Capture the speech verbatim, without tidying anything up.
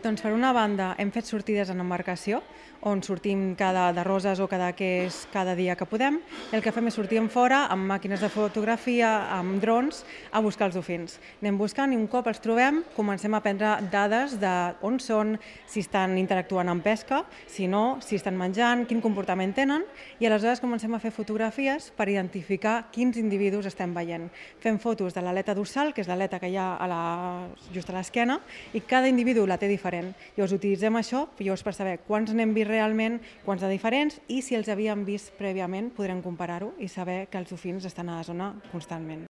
Doncs per una banda hem fet sortides en embarcació, on sortim cada de Roses o cada que és cada dia que podem, i el que fem és sortir en fora amb màquines de fotografia, amb drons, a buscar els dofins. Anem buscant i un cop els trobem comencem a prendre dades de on són, si estan interactuant amb pesca, si no, si estan menjant, quin comportament tenen, i aleshores comencem a fer fotografies per identificar quins individus estem veient. Fem fotos de l'aleta dorsal, que és l'aleta que hi ha a la, just a l'esquena, i cada individu la té diferent. Llavors utilitzem això llavors per saber quants n'hem vist realment, quants de diferents, i si els havíem vist prèviament podrem comparar-ho i saber que els dofins estan a la zona constantment.